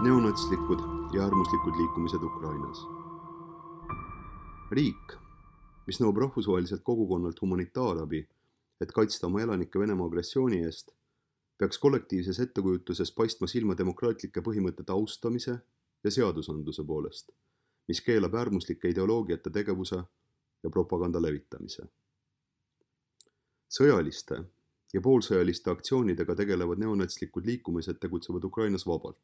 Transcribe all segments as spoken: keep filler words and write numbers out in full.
neonatslikud ja äärmuslikud liikumised Ukrainas. Riik, mis nõuab rahvusvaheliselt kogukonnalt humanitaarabi, et kaitsta oma elanike Venemaa agressiooni eest, peaks kollektiivses ettekujutuses paistma silma demokraatlike põhimõtete austamise ja seadusandluse poolest, mis keelab äärmuslike ideoloogiate tegevuse ja propaganda levitamise. Sõjaliste ja poolsõjaliste aktsioonidega tegelevad neonatslikud liikumised tegutsevad Ukrainas vabalt,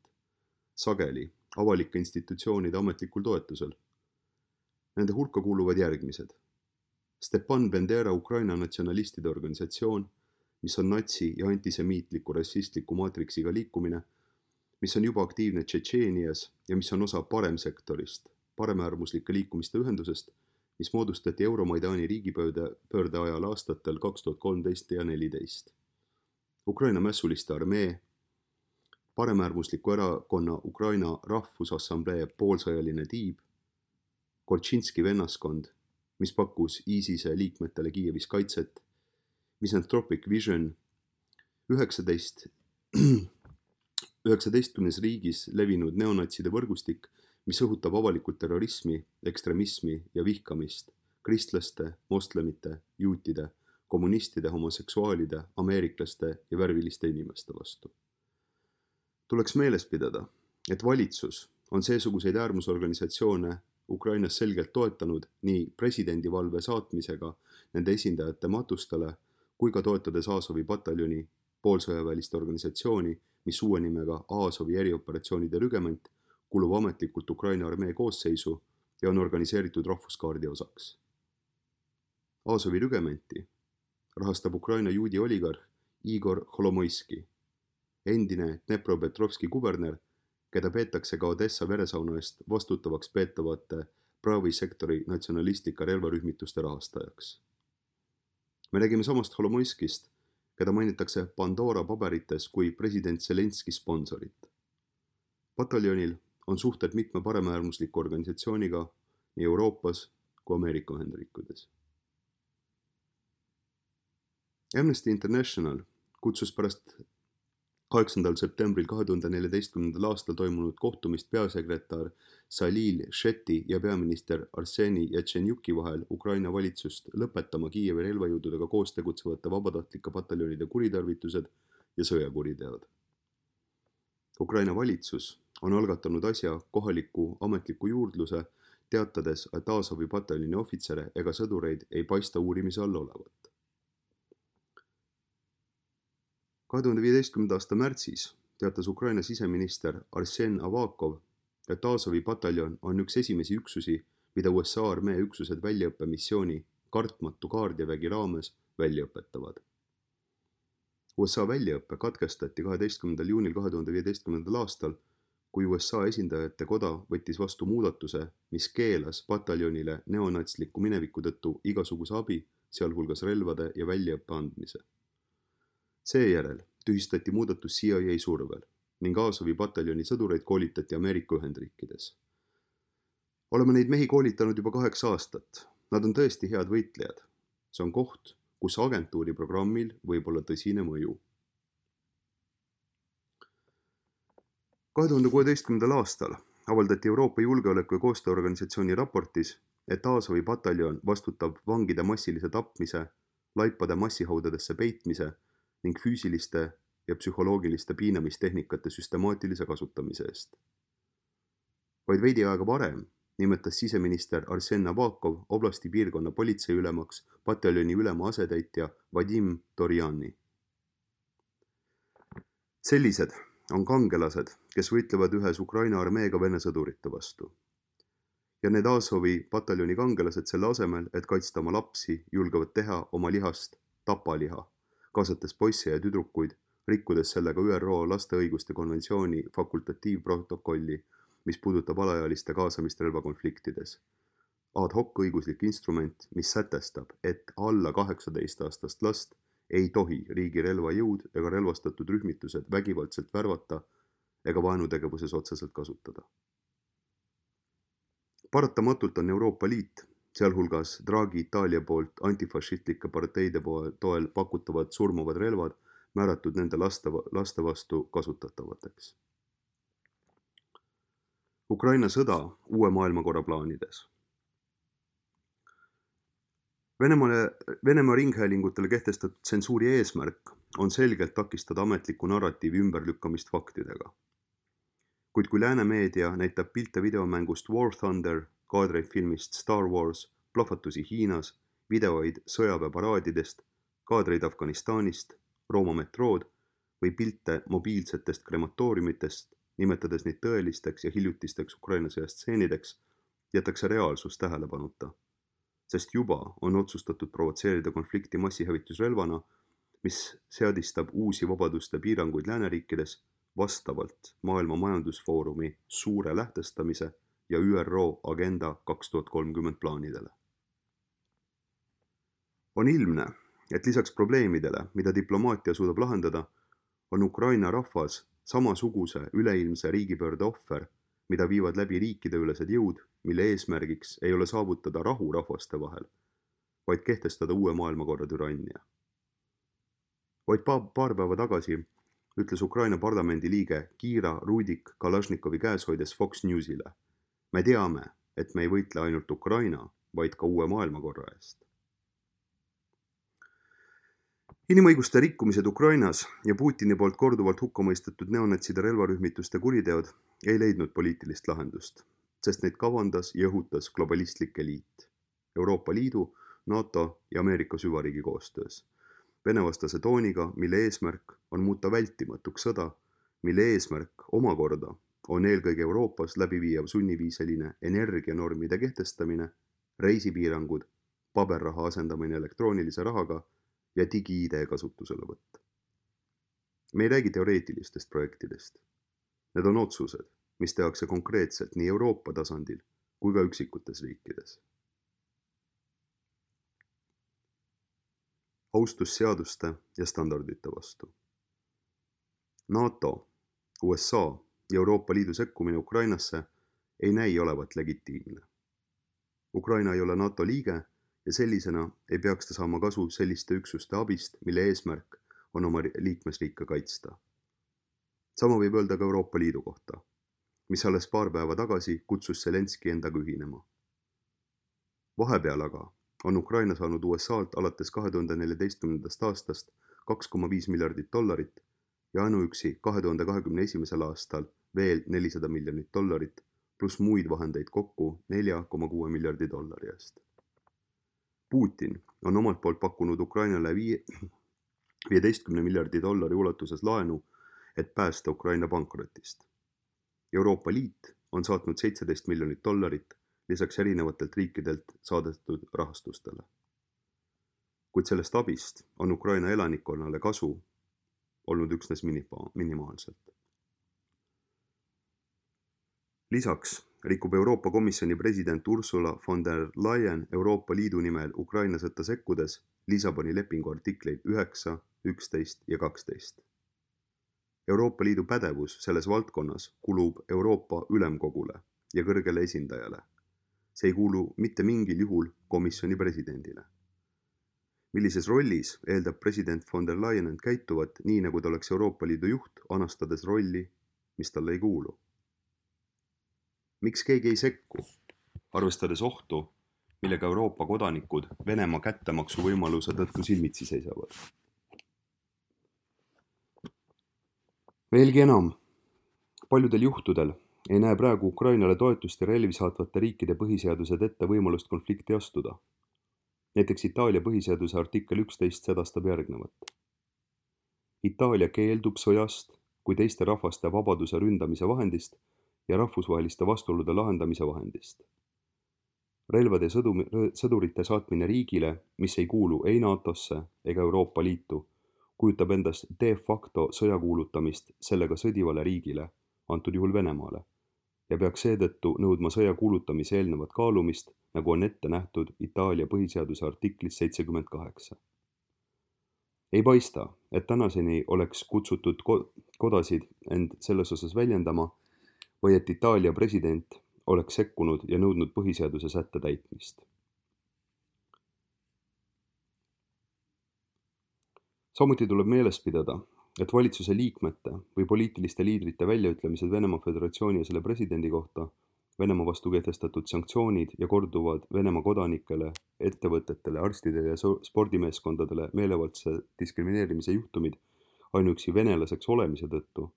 sageli avalike institutsioonide ametlikul toetusel. Nende hulka kuuluvad järgmised. Stepan Bendera Ukraina natsionalistide organisatsioon, mis on natsi- ja antisemiitliku rassistliku maatriksiga liikumine, mis on juba aktiivne Tšetšeenias ja mis on osa paremsektorist, paremäärmuslike liikumiste ühendusest, mis moodustati Euromaidani riigipöörde ajal aastatel kaks tuhat kolmteist ja neliteist. Ukraina mässuliste armee, paremäärmusliku erakonna Ukraina Rahvusassamblee poolsõjaline tiib, Kolčinski vennaskond, mis pakkus ISISe liikmetele Kiievis kaitset, Misanthropic Vision, üheksateist, üheksateistkümnes riigis levinud neonatside võrgustik, mis õhutab avalikult terrorismi, ekstremismi ja vihkamist kristlaste, moslemite, juutide, kommunistide, homoseksuaalide, ameeriklaste ja värviliste inimeste vastu. Tuleks meeles pidada, et valitsus on seesuguseid äärmusorganisatsioone Ukrainas selgelt toetanud nii presidendivalve saatmisega nende esindajate matustele kui ka toetades Azovi pataljoni poolsõjaväelist organisatsiooni, mis uue nimega Azovi erioperatsioonide rügement kulub ametlikult Ukraina armee koosseisu ja on organiseeritud rahvuskaardi osaks. Azovi rügementi rahastab Ukraina juudi oligarh Igor Holomoiski, endine Dnepropetrovski kuberner, keda peetakse ka Odessa veresauna eest vastutavaks peetavate Pravi sektori natsionalistlike relvarühmituste rahastajaks. Me räägime samast Holomoiskist, keda mainitakse Pandora paberites kui president Zelenski sponsorit. Pataljonil on suhted mitme paremäärmusliku organisatsiooniga nii Euroopas kui Ameerika Ühendriikides. Amnesty International kutsus pärast kaheksandal septembril kahe tuhande neljateistkümnendal aastal toimunud kohtumist peasekretär Salil Sheti ja peaminister Arseni Jatšenjuki vahel Ukraina valitsust lõpetama Kiievi relvajõududega koos tegutsevate vabatahtlike pataljonide kuritarvitused ja sõjakuriteod. Ukraina valitsus on algatanud asja kohaliku ametliku juurdluse, teatades, et Azovi pataljoni ohvitsere ega sõdureid ei paista uurimise all olevat. kahe tuhande viieteistkümnenda aasta märtsis teatas Ukraina siseminister Arsen Avakov, et Azovi pataljon on üks esimesi üksusi, mida U S A armee üksused väljaõppemissiooni kartmatu kaardjavägi raames välja õpetavad. U S A väljaõppe katkestati kaheteistkümnendal juunil kahe tuhande viieteistkümnendal aastal, kui U S A esindajate koda võttis vastu muudatuse, mis keelas pataljonile neonatsliku mineviku tõttu igasuguse abi, sealhulgas relvade ja väljaõppe andmise. Seejärel tühistati muudatus C I A survel ning Azovi pataljoni sõdureid koolitati Ameerika Ühendriikides. Oleme neid mehi koolitanud juba kaheksa aastat. Nad on tõesti head võitlejad. See on koht, kus agentuuri programmil võib olla tõsine mõju. kahe tuhande kuueteistkümnendal aastal avaldati Euroopa Julgeoleku- ja Koostööorganisatsiooni raportis, et Azovi pataljon vastutab vangide massilise tapmise, laipade massihaudadesse peitmise ning füüsiliste ja psühholoogiliste piinamistehnikate süstemaatilise kasutamise eest. Vaid veidi aega varem nimetas siseminister Arsen Avakov oblasti piirkonna politseiülemaks pataljoni ülema asetäitja Vadim Torjani. Sellised on kangelased, kes võitlevad ühes Ukraina armeega Vene sõdurite vastu. Ja need Azovi pataljoni kangelased selle asemel, et kaitsta oma lapsi, julgevad teha oma lihast tapaliha, kaasates poisse ja tüdrukuid, rikkudes sellega Ü R O laste õiguste konventsiooni fakultatiivprotokolli, mis puudutab alaealiste kaasamist relvakonfliktides. Ad hoc õiguslik instrument, mis sätestab, et alla kaheksateist aastast last ei tohi riigi relvajõud ega relvastatud rühmitused vägivaldselt värvata ega vaenutegevuses otseselt kasutada. Paratamatult on Euroopa Liit, sealhulgas Draghi Itaalia poolt antifašistlike parteide toel pakutavad surmavad relvad määratud nende laste, laste vastu kasutatavateks. Ukraina sõda uue maailmakorra plaanides. Venemaale, Venemaa ringhäälingutele kehtestatud tsensuuri eesmärk on selgelt takistada ametliku narratiivi ümberlükkamist faktidega. Kuid kui lääne meedia näitab pilte videomängust War Thunder, kaadreid filmist Star Wars, plahvatusi Hiinas, videoid sõjaväeparaadidest, kaadreid Afganistanist, Rooma metrood või pilte mobiilsetest krematooriumitest, nimetades neid tõelisteks ja hiljutisteks Ukraina sõjast stseenideks, jätakse reaalsus tähelepanuta, sest juba on otsustatud provotseerida konflikti massihävitusrelvana, mis seadistab uusi vabaduste piiranguid lääneriikides vastavalt Maailma Majandusfoorumi suure lähtestamise ja Ü R O Agenda kaks tuhat kolmkümmend plaanidele. On ilmne, et lisaks probleemidele, mida diplomaatia suudab lahendada, on Ukraina rahvas samasuguse üleilmse riigipöörde ohver, mida viivad läbi riikideülesed jõud, mille eesmärgiks ei ole saavutada rahu rahvaste vahel, vaid kehtestada uue maailmakorra türannia. Vaid paar päeva tagasi ütles Ukraina parlamendi liige Kira Rudik Kalašnikovi käes hoides Fox Newsile: me teame, et me ei võitle ainult Ukraina, vaid ka uue maailmakorra eest. Inimõiguste rikkumised Ukrainas ja Putini poolt korduvalt hukkamõistetud neonatside relvarühmituste kuriteod ei leidnud poliitilist lahendust, sest neid kavandas ja õhutas globalistlik eliit Euroopa Liidu, NATO ja Ameerika süvariigi koostöös, venevastase tooniga, mille eesmärk on muuta vältimatuks sõda, mille eesmärk omakorda on eelkõige Euroopas läbiviiav sunniviiseline energianormide kehtestamine, reisipiirangud, paberraha asendamine elektroonilise rahaga ja digi-I D kasutusele võtta. Me ei räägi teoreetilistest projektidest. Need on otsused, mis tehakse konkreetselt nii Euroopa tasandil kui ka üksikutes riikides. Austus seaduste ja standardite vastu. NATO, U S A ja Euroopa Liidu sekkumine Ukrainasse ei näi olevat legitiimne. Ukraina ei ole NATO liige ja sellisena ei peaks ta saama kasu selliste üksuste abist, mille eesmärk on oma liikmesriike kaitsta. Sama võib öelda ka Euroopa Liidu kohta, mis alles paar päeva tagasi kutsus Zelenski endaga ühinema. Vahepeal aga on Ukraina saanud U S A-lt alates kahe tuhande neljateistkümnendast aastast kaks koma viis miljardit dollarit ja ainuüksi kahe tuhande kahekümne esimesel aastal veel nelisada miljonit dollarit pluss muid vahendeid kokku nelja koma kuue miljardi dollari eest. Putin on omalt poolt pakkunud Ukrainale viieteistkümne miljardi dollari ulatuses laenu, et päästa Ukraina pankrotist. Euroopa Liit on saatnud seitseteist miljonit dollarit lisaks erinevatelt riikidelt saadetud rahastustele. Kuid sellest abist on Ukraina elanikkonnale kasu olnud üksnes minimaalselt. Lisaks rikub Euroopa Komisjoni president Ursula von der Leyen Euroopa Liidu nimel Ukraina sõtta sekkudes Lissaboni lepingu artikleid üheksa, üksteist ja kaksteist. Euroopa Liidu pädevus selles valdkonnas kulub Euroopa Ülemkogule ja kõrgele esindajale. See ei kuulu mitte mingil juhul komisjoni presidendile. Millises rollis eeldab president von der Leyen end käituvat nii, nagu ta oleks Euroopa Liidu juht, anastades rolli, mis talle ei kuulu? Miks keegi ei sekku, arvestades ohtu, millega Euroopa kodanikud Venemaa kättemaksu võimaluse tõttu silmitsi seisavad? Veelgi enam, paljudel juhtudel ei näe praegu Ukrainale toetust ja relvi saatvate riikide põhiseadused ette võimalust konflikti astuda. Näiteks Itaalia põhiseaduse artikkel üksteist sedastab järgnevat. Itaalia keeldub sõjast kui teiste rahvaste vabaduse ründamise vahendist ja rahvusvaheliste vastuolude lahendamise vahendist. Relvade sõdurite saatmine riigile, mis ei kuulu ei NATOsse ega Euroopa Liitu, kujutab endast de facto sõja kuulutamist sellega sõdivale riigile, antud juhul Venemaale, ja peaks seetõttu nõudma sõja kuulutamise eelnevat kaalumist, nagu on ette nähtud Itaalia põhiseaduse artiklis seitsekümmend kaheksa. Ei paista, et tänaseni oleks kutsutud kodasid end selles osas väljendama või et Itaalia president oleks sekkunud ja nõudnud põhiseaduse sätte täitmist. Samuti tuleb meeles pidada, et valitsuse liikmete või poliitiliste liidrite väljaütlemised Venemaa Föderatsiooni ja selle presidendi kohta, Venemaa vastu kehtestatud sanktsioonid ja korduvad Venemaa kodanikele, ettevõtetele, arstidele ja spordimeeskondadele meelevaldse diskrimineerimise juhtumid ainuüksi venelaseks olemise tõttu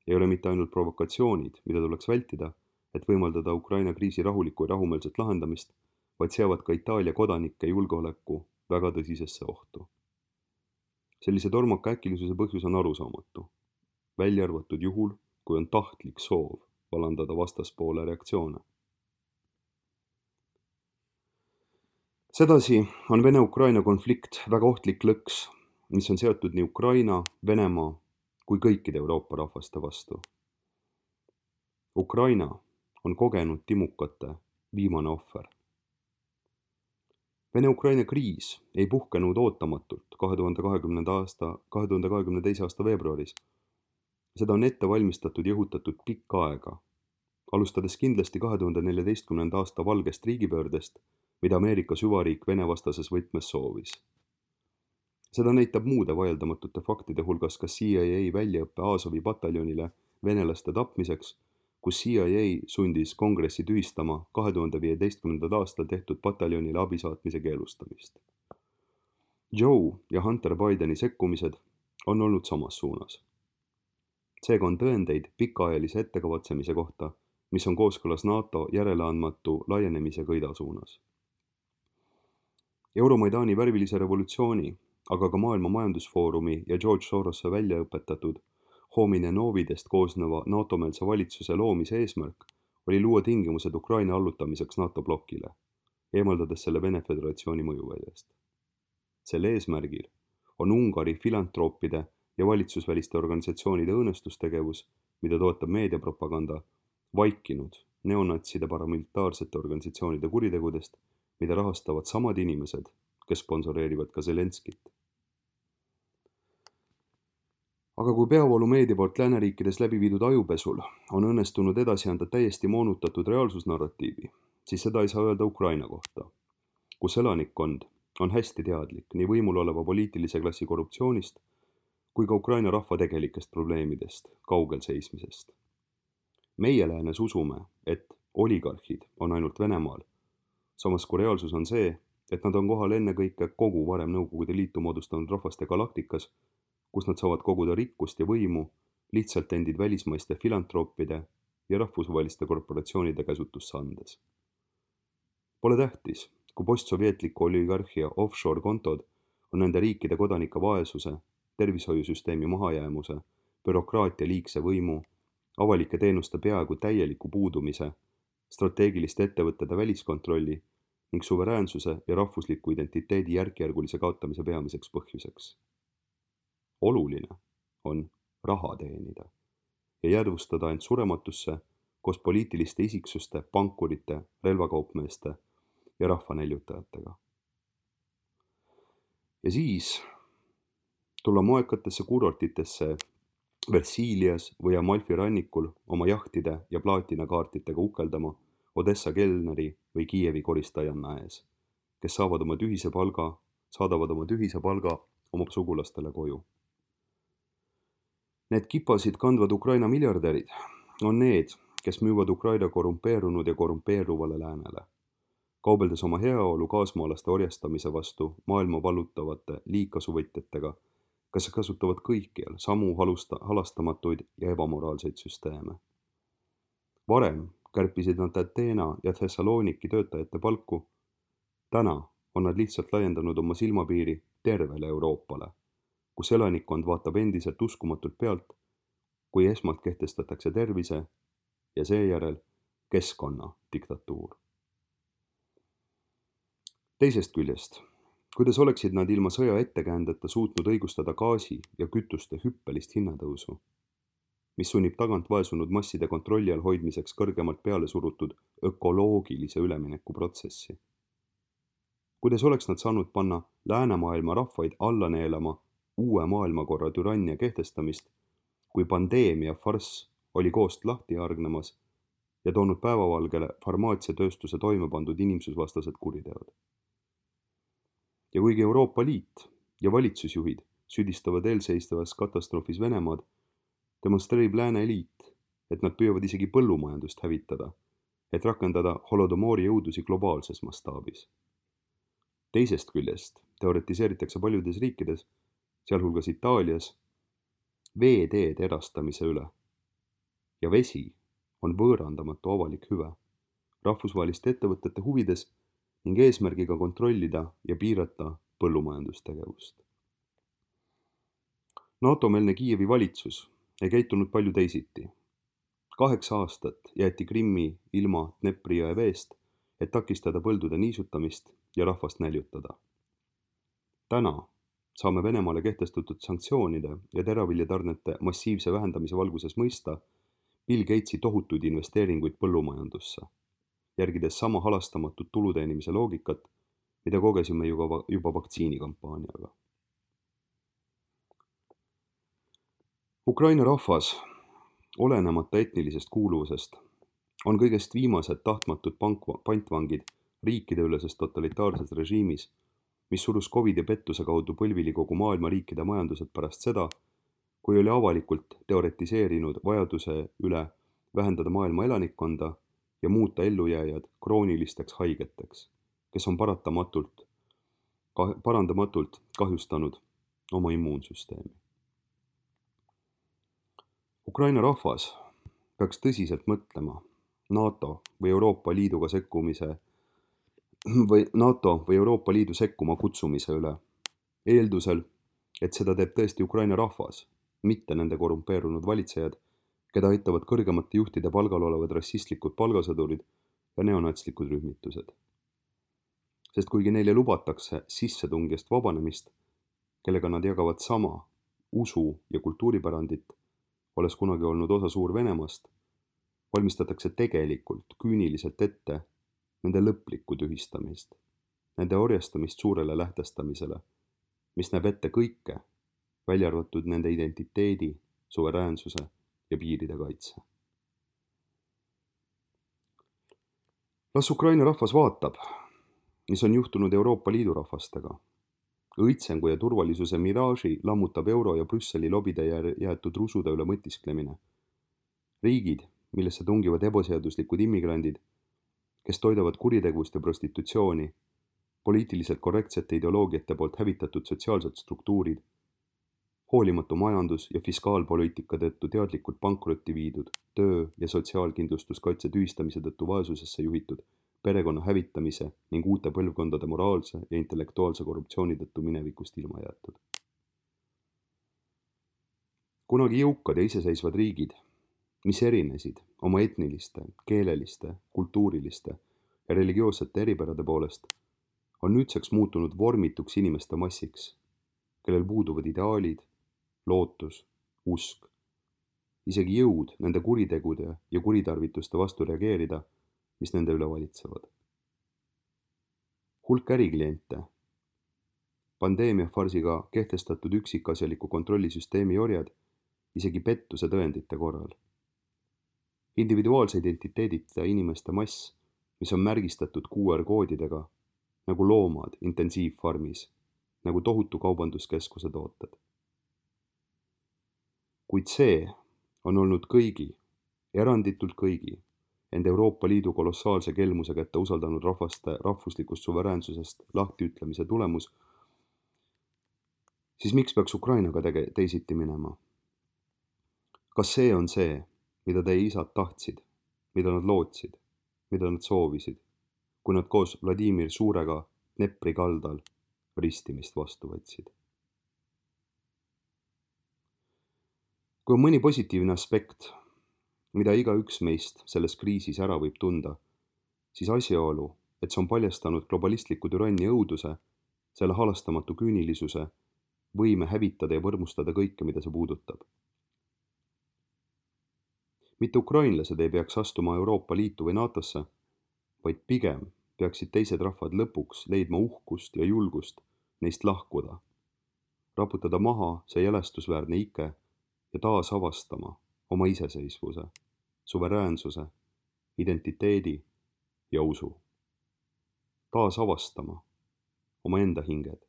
ei ole mitte ainult provokatsioonid, mida tuleks vältida, et võimaldada Ukraina kriisi rahulikku ja rahumeelset lahendamist, vaid seavad ka Itaalia kodanike julgeoleku väga tõsisesse ohtu. Sellise tormaka äkilisuse põhjus on arusaamatu, välja arvatud juhul, kui on tahtlik soov vallandada vastaspoole reaktsioone. Sedasi on Vene-Ukraina konflikt väga ohtlik lõks, mis on seotud nii Ukraina, Venemaa kui kõikide Euroopa rahvaste vastu. Ukraina on kogenud timukate viimane ohver. Vene-Ukraina kriis ei puhkenud ootamatult kahe tuhande kahekümnenda aasta, kahe tuhande kahekümne teise aasta veebruaris. Seda on ette valmistatud ja õhutatud pikka aega, alustades kindlasti kahe tuhande neljateistkümnenda aasta valgest riigipöördest, mida Ameerika süvariik Vene-vastases võtmes soovis. Seda näitab muude vaieldamatute faktide hulgas ka C I A väljaõppe Azovi pataljonile venelaste tapmiseks, kus C I A sundis kongressi tühistama kahe tuhande viieteistkümnendal aastal tehtud pataljonile abisaatmise keelustamist. Joe ja Hunter Bideni sekkumised on olnud samas suunas. Seega on tõendeid pikaajalise ettekavatsemise kohta, mis on kooskõlas NATO järeleandmatu laienemisega ida suunas. Euromaidani värvilise revolutsiooni, aga ka Maailma Majandusfoorumi ja George Sorose välja õpetatud Homine Novidest koosneva NATO-meelse valitsuse loomise eesmärk oli luua tingimused Ukraina allutamiseks NATO blokile, eemaldades selle Vene Föderatsiooni mõjuväljast. Selle eesmärgil on Ungari filantroopide ja valitsusväliste organisatsioonide õõnestustegevus, mida toetab meediapropaganda, vaikinud neonatside paramilitaarsete organisatsioonide kuritegudest, mida rahastavad samad inimesed, kes sponsoreerivad ka Zelenskit. Aga kui peavoolumeedia poolt lääneriikides läbi viidud ajupesul on õnnestunud edasi anda täiesti moonutatud reaalsusnarratiivi, siis seda ei saa öelda Ukraina kohta, kus elanikkond on hästi teadlik nii võimul oleva poliitilise klassi korruptsioonist kui ka Ukraina rahva tegelikest probleemidest, kaugel seismisest. Meie läänes usume, et oligarhid on ainult Venemaal, samas kui reaalsus on see, et nad on kohal ennekõike kogu varem Nõukogude Liitu moodustanud rahvaste galaktikas, kus nad saavad koguda rikkust ja võimu lihtsalt endid välismaiste filantroopide ja rahvusvaheliste korporatsioonide käsutusse andes. Pole tähtis, kui postsovjetliku oligarhia offshore-kontod on nende riikide kodanike vaesuse, tervishoiusüsteemi mahajäämuse, bürokraatia liigse võimu, avalike teenuste peaaegu täieliku puudumise, strateegiliste ettevõtete väliskontrolli ning suveräänsuse ja rahvusliku identiteedi järkjärgulise kaotamise peamiseks põhjuseks. Oluline on raha teenida ja jäädvustada end surematusse koos poliitiliste isiksuste, pankurite, relvakaupmeeste ja rahvanäljutajatega. Ja siis tulla moekatesse kuurortitesse Versiilias või Amalfi rannikul oma jahtide ja plaatinakaartitega ukeldama Odessa kelneri või Kiievi koristajanna ees, kes saavad oma tühise palga, saadavad oma tühise palga oma sugulastele koju. Need kipasid kandvad Ukraina miljardärid on need, kes müüvad Ukraina korrumpeerunud ja korrumpeeruvale läänele, kaubeldes oma heaolu kaasmaalaste orjastamise vastu maailma vallutavate liigkasuvõtjatega, kes kasutavad kõikjal samu halusta, halastamatuid ja ebamoraalseid süsteeme. Varem kärpisid nad Ateena ja Thessaloniki töötajate palku, täna on nad lihtsalt laiendanud oma silmapiiri tervele Euroopale, kus elanikkond vaatab endiselt uskumatult pealt, kui esmalt kehtestatakse tervise ja seejärel keskkonna diktatuur. Teisest küljest, kuidas oleksid nad ilma sõja ettekäändeta suutnud õigustada gaasi ja kütuste hüppelist hinnatõusu, mis sunnib tagant vaesunud masside kontrolli all hoidmiseks kõrgemalt peale surutud ökoloogilise ülemineku protsessi? Kuidas oleks nad saanud panna läänemaailma rahvaid alla neelama uue maailmakorra türannia kehtestamist, kui pandeemia farss oli koost lahti hargnemas ja toonud päevavalgele farmaatsiatööstuse toime pandud inimsusvastased kuriteod? Ja kuigi Euroopa Liit ja valitsusjuhid süüdistavad eelseisvas katastroofis Venemaad, demonstreerib lääne eliit, et nad püüavad isegi põllumajandust hävitada, et rakendada holodomori jõudusi globaalses mastaabis. Teisest küljest teoretiseeritakse paljudes riikides, sealhulgas Itaalias, veeteede erastamise üle. Ja vesi on võõrandamatu avalik hüve, rahvusvaheliste ettevõtete huvides ning eesmärgiga kontrollida ja piirata põllumajandustegevust. NATO-meelne Kiievi valitsus ei käitunud palju teisiti. Kaheksa aastat jäeti Krimmi ilma Dnepri jõe veest, et takistada põldude niisutamist ja rahvast näljutada. Täna saame Venemaale kehtestatud sanktsioonide ja teraviljatarnete massiivse vähendamise valguses mõista Bill Gatesi tohutuid investeeringuid põllumajandusse, järgides sama halastamatut tuluteenimise loogikat, mida kogesime juba, juba vaktsiinikampaaniaga. Ukraina rahvas, olenemata etnilisest kuuluvusest, on kõigest viimased tahtmatud pantvangid riikideülesest totalitaarses režiimis, mis surus Covid ja pettuse kaudu põlvili kogu maailma riikide majandused pärast seda, kui oli avalikult teoretiseerinud vajaduse üle vähendada maailma elanikkonda ja muuta ellujääjad kroonilisteks haigeteks, kes on paratamatult, parandamatult kahjustanud oma immuunsüsteemi. Ukraina rahvas peaks tõsiselt mõtlema NATO või Euroopa Liiduga sekkumise või NATO või Euroopa Liidu sekkuma kutsumise üle, eeldusel, et seda teeb tõesti Ukraina rahvas, mitte nende korrumpeerunud valitsejad, keda aitavad kõrgemate juhtide palgal olevad rassistlikud palgasõdurid ja neonatslikud rühmitused. Sest kuigi neile lubatakse sissetungijast vabanemist, kellega nad jagavad sama usu ja kultuuripärandit, olles kunagi olnud osa Suur-Venemaast, valmistatakse tegelikult küüniliselt ette nende lõplikku tühistamist, nende orjastamist suurele lähtestamisele, mis näeb ette kõike, välja arvatud nende identiteedi, suveräänsuse ja piiride kaitse. Las Ukraina rahvas vaatab, mis on juhtunud Euroopa Liidu rahvastega. Õitsengu ja turvalisuse miraaži lammutab euro ja Brüsseli lobide jäetud rusude üle mõtisklemine. Riigid, millesse tungivad ebaseaduslikud immigrandid, kes toidavad kuritegevust ja prostitutsiooni, poliitiliselt korrektsete ideoloogiate poolt hävitatud sotsiaalsed struktuurid, hoolimatu majandus- ja fiskaalpoliitika tõttu teadlikult pankrotti viidud, töö- ja sotsiaalkindlustuskaitse tühistamise tõttu vaesusesse juhitud, perekonna hävitamise ning uute põlvkondade moraalse ja intellektuaalse korruptsiooni tõttu minevikust ilma jäetud. Kunagi jõukad ja iseseisvad riigid, mis erinesid oma etniliste, keeleliste, kultuuriliste ja religioossete eripärade poolest, on nüüdseks muutunud vormituks inimeste massiks, kellel puuduvad ideaalid, lootus, usk, isegi jõud nende kuritegude ja kuritarvituste vastu reageerida, mis nende üle valitsevad. Hulk ärikliente, pandeemia farsiga kehtestatud üksikasjaliku kontrollisüsteemi orjad, isegi pettuse tõendite korral. Individuaalse identiteedita inimeste mass, mis on märgistatud Q R-koodidega, nagu loomad intensiivfarmis, nagu tohutu kaubanduskeskuse tooted. Kuid see on olnud kõigi, eranditult kõigi, end Euroopa Liidu kolossaalse kelmuse kätte usaldanud rahvaste rahvuslikust suveräänsusest lahtiütlemise tulemus, siis miks peaks Ukrainaga tege- teisiti minema? Kas see on see, mida teie isad tahtsid, mida nad lootsid, mida nad soovisid, kui nad koos Vladimir Suurega Dnepri kaldal ristimist vastu võtsid? Kui on mõni positiivne aspekt, mida igaüks meist selles kriisis ära võib tunda, siis asjaolu, et see on paljastanud globalistliku türannia õuduse, selle halastamatu küünilisuse, võime hävitada ja võrmustada kõike, mida see puudutab. Mitte ukrainlased ei peaks astuma Euroopa Liitu või NATOsse, vaid pigem peaksid teised rahvad lõpuks leidma uhkust ja julgust neist lahkuda, raputada maha see jälestusväärne ike ja taas avastama oma iseseisvuse, suveräänsuse, identiteedi ja usu. Taas avastama oma enda hinged.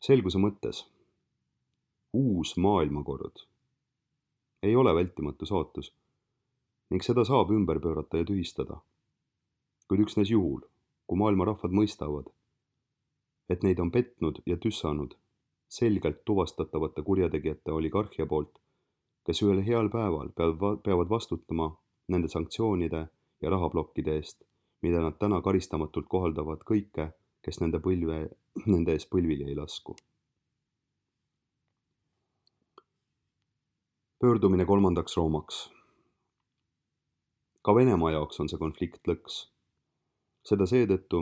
Selguse mõttes, uus maailmakord ei ole vältimatu saatus ning seda saab ümber pöörata ja tühistada, kuid üksnes juhul, kui maailma rahvad mõistavad, et neid on petnud ja tüssanud selgelt tuvastatavate kurjategijate oligarhia poolt, kes ühel heal päeval peavad vastutama nende sanktsioonide ja rahaplokkide eest, mida nad täna karistamatult kohaldavad kõike, kes nende, põlve, nende ees põlvili ei lasku. Pöördumine kolmandaks Roomaks. Ka Venemaa jaoks on see konflikt lõks. Seda seetõttu,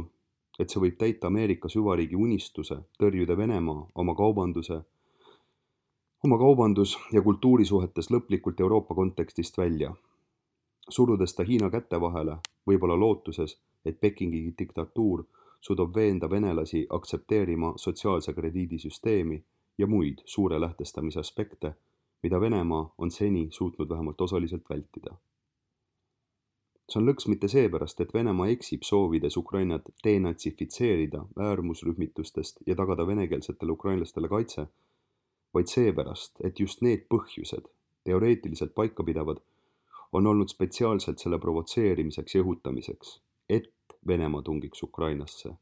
et see võib täita Ameerika süvariigi unistuse tõrjuda Venemaa oma kaubanduse, oma kaubandus- ja kultuurisuhetes lõplikult Euroopa kontekstist välja, surudes ta Hiina käte vahele, võib-olla lootuses, et Pekingi diktatuur suudab veenda venelasi aktsepteerima sotsiaalse krediidisüsteemi ja muid suure lähtestamise aspekte, mida Venemaa on seni suutnud vähemalt osaliselt vältida. See on lõks mitte seepärast, et Venemaa eksib soovides Ukrainat denatsifitseerida äärmusrühmitustest ja tagada venekeelsetele ukrainlastele kaitse, vaid seepärast, et just need põhjused, teoreetiliselt paikapidavad, on olnud spetsiaalselt selle provotseerimiseks ja õhutamiseks, et Venemaa tungiks Ukrainasse,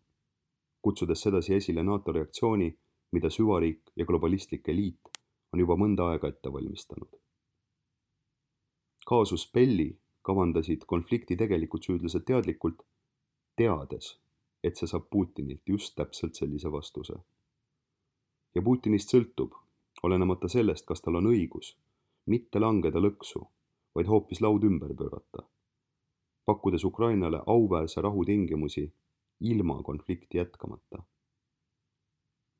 kutsudes sedasi esile NATO reaktsiooni, mida süvariik ja globalistlik eliit on juba mõnda aega ette valmistanud. Kaasus Belli kavandasid konflikti tegelikult süüdlased teadlikult, teades, et see saab Putinilt just täpselt sellise vastuse. Ja Putinist sõltub, olenemata sellest, kas tal on õigus, mitte langeda lõksu, vaid hoopis laud ümber pöörata, pakkudes Ukrainale auväärse rahu tingimusi ilma konflikti jätkamata.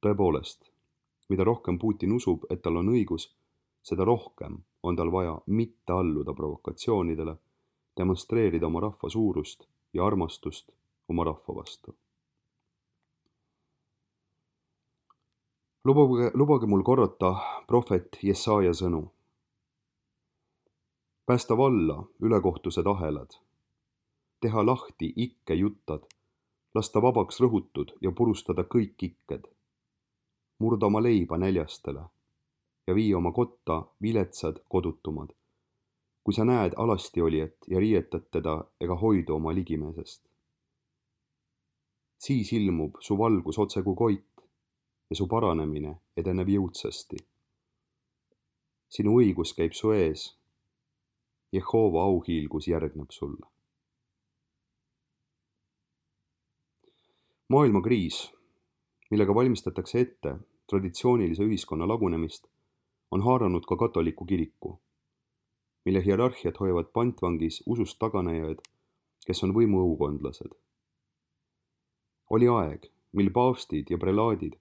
Tõepoolest, mida rohkem Putin usub, et tal on õigus, seda rohkem on tal vaja mitte alluda provokatsioonidele, demonstreerida oma rahva suurust ja armastust oma rahva vastu. Lubage, lubage mul korrata prohvet Jesaja sõnu. Päästa valla ülekohtused ahelad, teha lahti ikke juttad, lasta vabaks rõhutud ja purustada kõik ikked, murda oma leiba näljastele ja vii oma kotta viletsad kodutumad, kui sa näed alasti olijat ja riietad teda ega hoidu oma ligimeesest. Siis ilmub su valgus otse kui koit ja su paranemine edeneb jõudsasti. Sinu õigus käib su ees, Jehova auhiilgus järgneb sulle. Maailmakriis, millega valmistatakse ette traditsioonilise ühiskonna lagunemist, on haaranud ka katoliku kiriku, mille hierarhiat hoiavad pantvangis usust taganejad, kes on võimu õukondlased. Oli aeg, mil paavstid ja prelaadid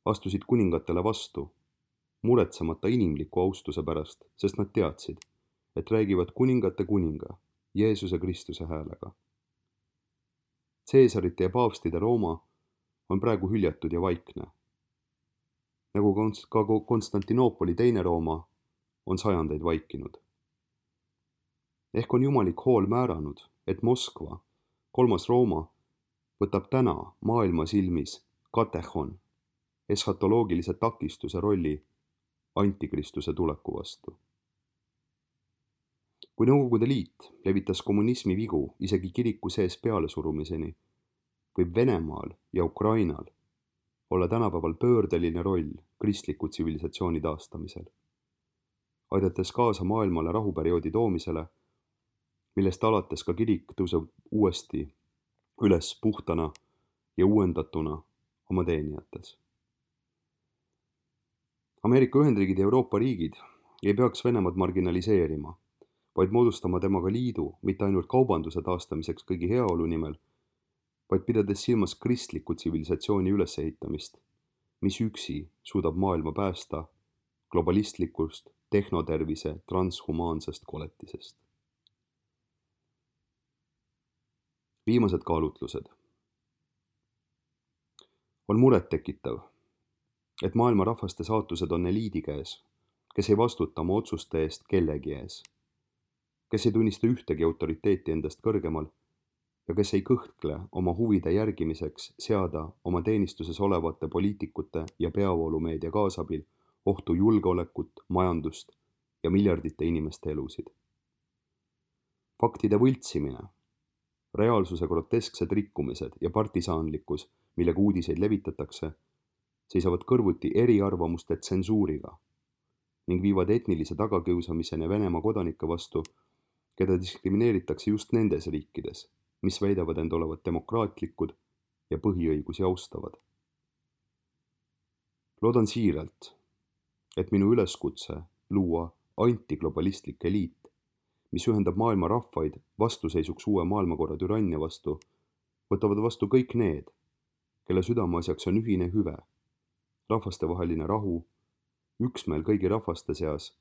astusid kuningatele vastu, muretsemata inimliku austuse pärast, sest nad teadsid, et räägivad kuningate kuninga, Jeesuse Kristuse häälega. Caesarite ja paavstide Rooma on praegu hüljatud ja vaikne, nagu ka Konstantinoopoli teine Rooma on sajandeid vaikinud. Ehk on jumalik hool määranud, et Moskva, kolmas Rooma, võtab täna maailma silmis katehon, eschatoloogilise takistuse rolli antikristuse tuleku vastu. Kui Nõukogude Liit levitas kommunismi vigu isegi kiriku sees pealesurumiseni, võib Venemaal ja Ukrainal olla tänapäeval pöördeline roll kristliku tsivilisatsiooni taastamisel, aidates kaasa maailmale rahuperioodi toomisele, millest alates ka kirik tõuseb uuesti üles puhtana ja uuendatuna oma teenijates. Ameerika Ühendriigid ja Euroopa riigid ei peaks Venemaad marginaliseerima, vaid moodustama temaga liidu mitte ainult kaubanduse taastamiseks kõigi heaolu nimel, vaid pidades silmas kristliku tsivilisatsiooni ülesehitamist, mis üksi suudab maailma päästa globalistlikust, tehnotervise, transhumaansest koletisest. Viimased kaalutlused. On muret tekitav, et maailma rahvaste saatused on eliidi käes, kes ei vastuta oma otsuste eest kellegi ees, kes ei tunnista ühtegi autoriteeti endast kõrgemal ja kes ei kõhkle oma huvide järgimiseks seada oma teenistuses olevate poliitikute ja peavoolumeedia kaasabil ohtu julgeolekut, majandust ja miljardite inimeste elusid. Faktide võltsimine, reaalsuse grotesksed rikkumised ja partisaanlikkus, millega uudiseid levitatakse, seisavad kõrvuti eriarvamuste tsensuuriga ning viivad etnilise tagakiusamiseni Venemaa kodanike vastu, keda diskrimineeritakse just nendes riikides, mis väidavad end olevat demokraatlikud ja põhiõigusi austavad. Loodan siiralt, et minu üleskutse luua antiglobalistlik eliit, mis ühendab maailma rahvaid vastuseisuks uue maailmakorra türannia vastu, võtavad vastu kõik need, kelle südameasjaks on ühine hüve, rahvastevaheline rahu, üksmeel kõigi rahvaste seas,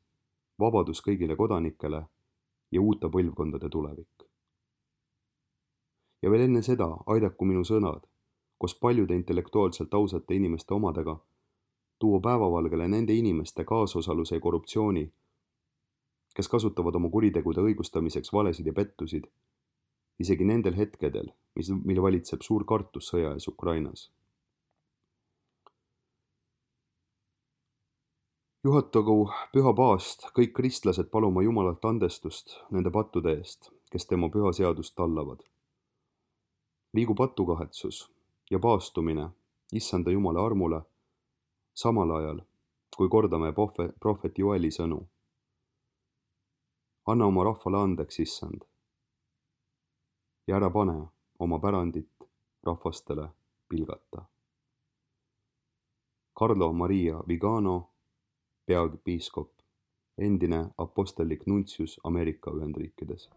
vabadus kõigile kodanikele ja uute põlvkondade tulevik. Ja veel enne seda aidaku minu sõnad, koos paljude intellektuaalselt ausate inimeste omadega, tuua päevavalgele nende inimeste kaasosaluse ja korruptsiooni, kes kasutavad oma kuritegude õigustamiseks valesid ja pettusid, isegi nendel hetkedel, mis, mil valitseb suur kartus sõja ees Ukrainas. Juhatagu püha paast kõik kristlased paluma Jumalalt andestust nende pattude eest, kes tema püha seadust tallavad. Liigu patukahetsus ja paastumine issanda Jumala armule, samal ajal, kui kordame prohvet Joeli sõnu. Anna oma rahvale andeks, issand, ja ära pane oma pärandit rahvastele pilgata. Carlo Maria Vigano, peapiiskop, endine apostellik nuntsius Ameerika Ühendriikides.